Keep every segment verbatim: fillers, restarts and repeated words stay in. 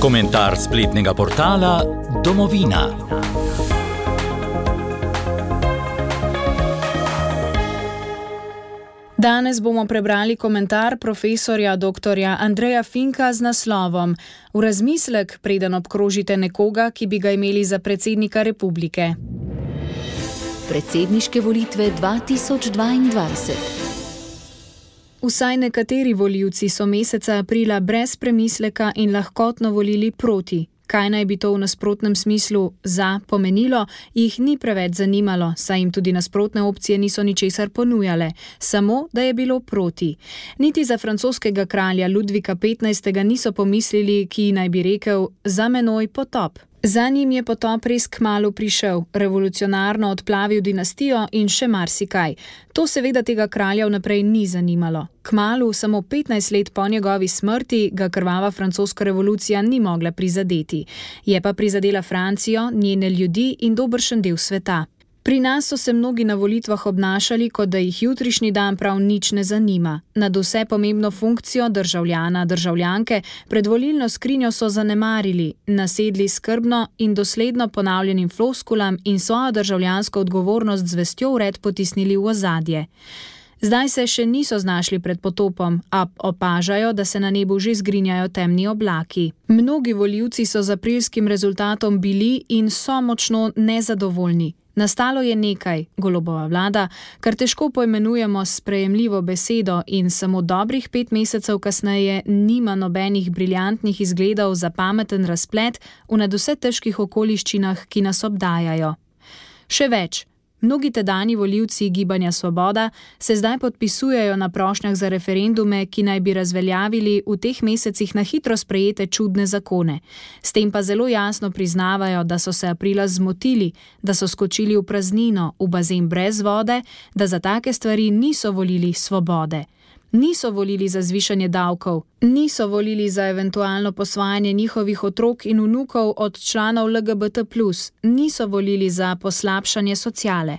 Komentar spletnega portala Domovina. Danes bomo prebrali komentar profesorja doktorja Andreja Finka z naslovom V razmislek, preden obkrožite nekoga, ki bi ga imeli za predsednika republike. Predsedniške volitve dva tisoč dvaindvajset. Vsaj nekateri volivci so meseca aprila brez premisleka in lahkotno volili proti. Kaj naj bi to v nasprotnem smislu za pomenilo, jih ni preveč zanimalo, saj jim tudi nasprotne opcije niso ničesar ponujale, samo da je bilo proti. Niti za francoskega kralja Ludvika petnajstega niso pomislili, ki naj bi rekel: za menoj potop. Za njim je potop res kmalu prišel, revolucionarno odplavil dinastijo in še marsikaj. To seveda tega kralja vnaprej ni zanimalo. Kmalu, samo petnajst let po njegovi smrti, ga krvava francoska revolucija ni mogla prizadeti. Je pa prizadela Francijo, njene ljudi in dobršen del sveta. Pri nas so se mnogi na volitvah obnašali, kot da jih jutrišnji dan prav nič ne zanima. Nad vse pomembno funkcijo državljana, državljanke, predvolilno skrinjo so zanemarili, nasedli skrbno in dosledno ponavljenim floskulam in svojo državljansko odgovornost z vestjo vred potisnili v ozadje. Zdaj se še niso znašli pred potopom, a opažajo, da se na nebu že zgrinjajo temni oblaki. Mnogi volivci so z aprilskim rezultatom bili in so močno nezadovoljni. Nastalo je nekaj, Golobova vlada, kar težko poimenujemo s sprejemljivo besedo in samo dobrih pet mesecev kasneje nima nobenih briljantnih izgledov za pameten razplet v nadvse težkih okoliščinah, ki nas obdajajo. Še več. Mnogi tedanji volivci Gibanja Svoboda se zdaj podpisujejo na prošnjah za referendume, ki naj bi razveljavili v teh mesecih na hitro sprejete čudne zakone. S tem pa zelo jasno priznavajo, da so se aprila zmotili, da so skočili v praznino, v bazen brez vode, da za take stvari niso volili svobode. Niso volili za zvišanje davkov, niso volili za eventualno posvajanje njihovih otrok in vnukov od članov L G B T plus, niso volili za poslabšanje sociale.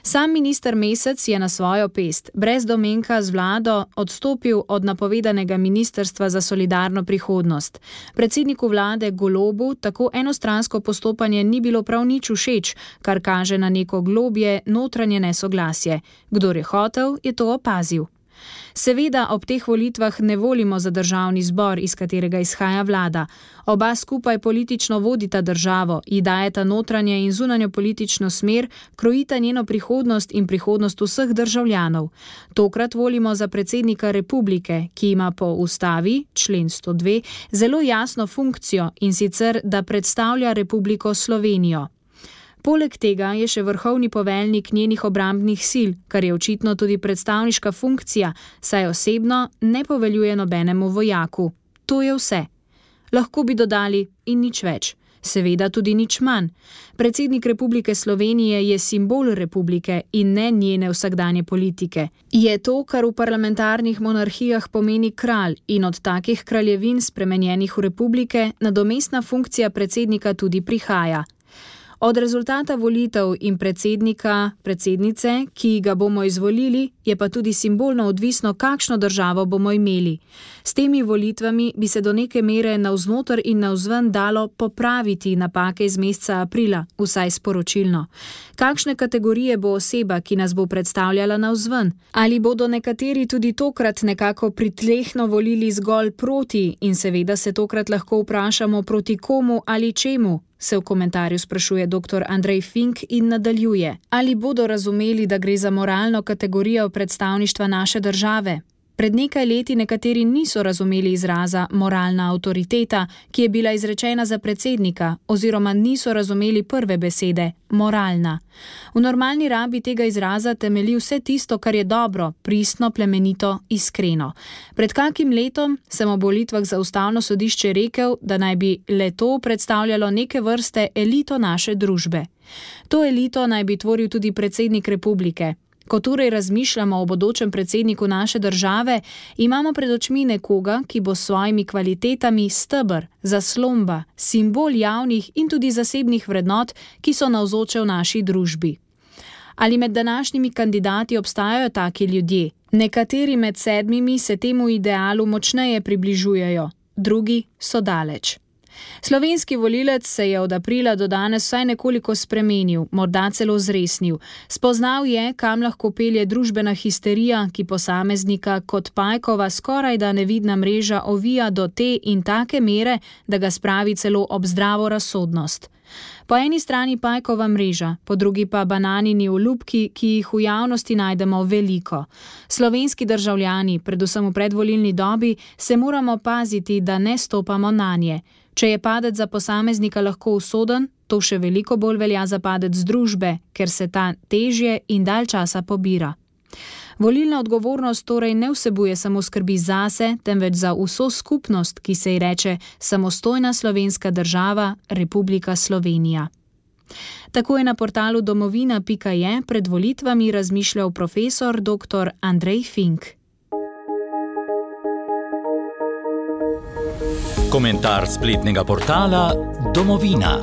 Sam minister Mesec je na svojo pest, brez domenka z vlado, odstopil od napovedanega ministrstva za solidarno prihodnost. Predsedniku vlade Golobu tako enostransko postopanje ni bilo prav nič všeč, kar kaže na neko globje notranje nesoglasje. Kdor je hotel, je to opazil. Seveda ob teh volitvah ne volimo za državni zbor, iz katerega izhaja vlada. Oba skupaj politično vodita državo, ji dajeta notranje in zunanjo politično smer, krojita njeno prihodnost in prihodnost vseh državljanov. Tokrat volimo za predsednika republike, ki ima po ustavi, člen sto dve, zelo jasno funkcijo, in sicer, da predstavlja Republiko Slovenijo. Poleg tega je še vrhovni poveljnik njenih obrambnih sil, kar je očitno tudi predstavniška funkcija, saj osebno ne poveljuje nobenemu vojaku. To je vse. Lahko bi dodali in nič več. Seveda tudi nič manj. Predsednik Republike Slovenije je simbol republike in ne njene vsakdanje politike. Je to, kar v parlamentarnih monarhijah pomeni kralj, in od takih kraljevin spremenjenih v republike nadomestna funkcija predsednika tudi prihaja. Od rezultata volitev in predsednika, predsednice, ki ga bomo izvolili, je pa tudi simbolno odvisno, kakšno državo bomo imeli. S temi volitvami bi se do neke mere navznoter in navzven dalo popraviti napake iz meseca aprila, vsaj sporočilno. Kakšne kategorije bo oseba, ki nas bo predstavljala navzven? Ali bodo nekateri tudi tokrat nekako pritlehno volili zgolj proti in seveda se tokrat lahko vprašamo proti komu ali čemu? Se v komentarju sprašuje doktor Andrej Fink in nadaljuje. Ali bodo razumeli, da gre za moralno kategorijo predstavništva naše države? Pred nekaj leti nekateri niso razumeli izraza moralna avtoriteta, ki je bila izrečena za predsednika, oziroma niso razumeli prve besede, moralna. V normalni rabi tega izraza temelji vse tisto, kar je dobro, pristno, plemenito, iskreno. Pred kakim letom sem ob volitvah za ustavno sodišče rekel, da naj bi le to predstavljalo neke vrste elito naše družbe. To elito naj bi tvoril tudi predsednik republike. Ko torej razmišljamo o bodočem predsedniku naše države, imamo pred očmi nekoga, ki bo s svojimi kvalitetami steber, zaslomba, simbol javnih in tudi zasebnih vrednot, ki so navzoče v naši družbi. Ali med današnjimi kandidati obstajajo taki ljudje? Nekateri med sedmimi se temu idealu močneje približujejo, drugi so daleč. Slovenski volilec se je od aprila do danes vsaj nekoliko spremenil, morda celo zresnil. Spoznal je, kam lahko pelje družbena histerija, ki posameznika kot pajkova skorajda nevidna mreža ovija do te in take mere, da ga spravi celo ob zdravo razsodnost. Po eni strani pajkova mreža, po drugi pa bananini olupki, ki jih v javnosti najdemo veliko. Slovenski državljani, predvsem v predvolilni dobi, se moramo paziti, da ne stopamo nanje. Če je padec za posameznika lahko usoden, to še veliko bolj velja za padec družbe, ker se ta težje in dalj časa pobira. Volilna odgovornost torej ne vsebuje samo skrbi zase, temveč za vso skupnost, ki se ji reče samostojna slovenska država, Republika Slovenija. Tako je na portalu domovina pika je pred volitvami razmišljal profesor doktor Andrej Fink. Komentar spletnega portala Domovina.